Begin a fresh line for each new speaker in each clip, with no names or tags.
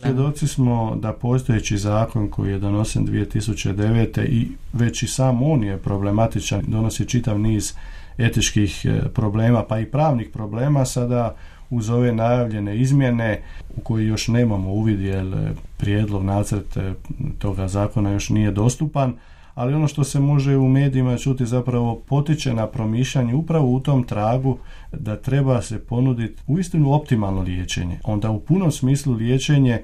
Svjedoci smo da postojeći zakon koji je donesen 2009. i već i sam on je problematičan, donosi čitav niz etičkih problema pa i pravnih problema. Sada uz ove najavljene izmjene u koji još nemamo uvid jer prijedlog nacrt toga zakona još nije dostupan, ali ono što se može u medijima čuti zapravo potiče na promišljanje upravo u tom tragu da treba se ponuditi uistinu optimalno liječenje. Onda u punom smislu liječenje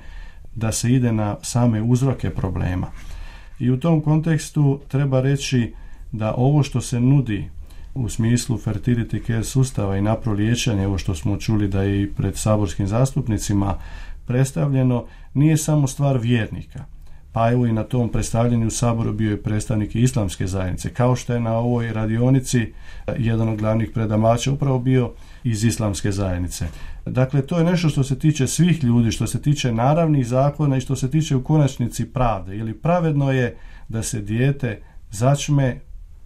da se ide na same uzroke problema. I u tom kontekstu treba reći da ovo što se nudi u smislu fertility care sustava i napro liječenja, ovo što smo čuli da je i pred saborskim zastupnicima predstavljeno, nije samo stvar vjernika. Pa evo i na tom predstavljanju u Saboru bio je predstavnik Islamske zajednice, kao što je na ovoj radionici jedan od glavnih predavača upravo bio iz Islamske zajednice. Dakle, to je nešto što se tiče svih ljudi, što se tiče naravnih zakona i što se tiče u konačnici pravde. Ili pravedno je da se dijete začme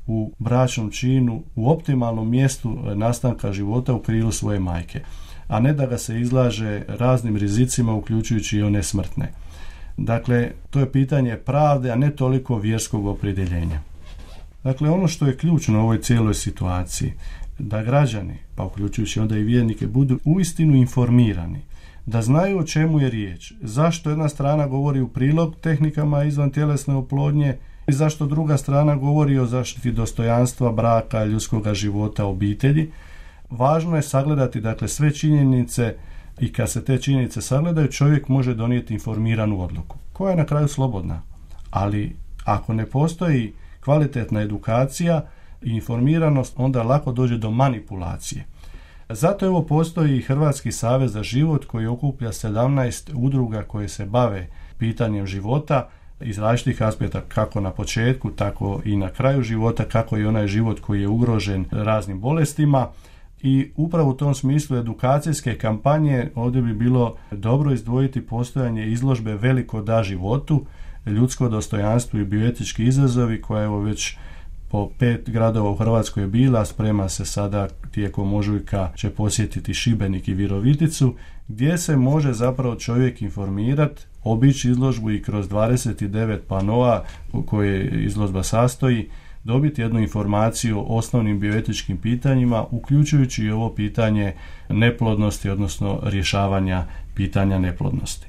u bračnom činu, u optimalnom mjestu nastanka života u krilu svoje majke, a ne da ga se izlaže raznim rizicima, uključujući i one smrtne. Dakle, to je pitanje pravde, a ne toliko vjerskog opredjeljenja. Dakle, ono što je ključno u ovoj cijeloj situaciji, da građani, pa uključujući onda i vjernike, budu uistinu informirani, da znaju o čemu je riječ, zašto jedna strana govori u prilog tehnikama izvantjelesne oplodnje i zašto druga strana govori o zaštiti dostojanstva, braka, ljudskoga života, obitelji. Važno je sagledati dakle sve činjenice i kad se te činjenice sagledaju, čovjek može donijeti informiranu odluku, koja je na kraju slobodna. Ali ako ne postoji kvalitetna edukacija i informiranost, onda lako dođe do manipulacije. Zato evo postoji i Hrvatski savez za život koji okuplja 17 udruga koje se bave pitanjem života iz različitih aspekta, kako na početku, tako i na kraju života, kako i onaj život koji je ugrožen raznim bolestima. I upravo u tom smislu edukacijske kampanje ovdje bi bilo dobro izdvojiti postojanje izložbe Veliko da životu, ljudsko dostojanstvo i bioetički izazovi, koja evo već po 5 gradova u Hrvatskoj je bila, sprema se sada tijekom ožujka će posjetiti Šibenik i Viroviticu, gdje se može zapravo čovjek informirati, obići izložbu i kroz 29 panoa u koje izložba sastoji, dobiti jednu informaciju o osnovnim bioetičkim pitanjima, uključujući i ovo pitanje neplodnosti, odnosno rješavanja pitanja neplodnosti.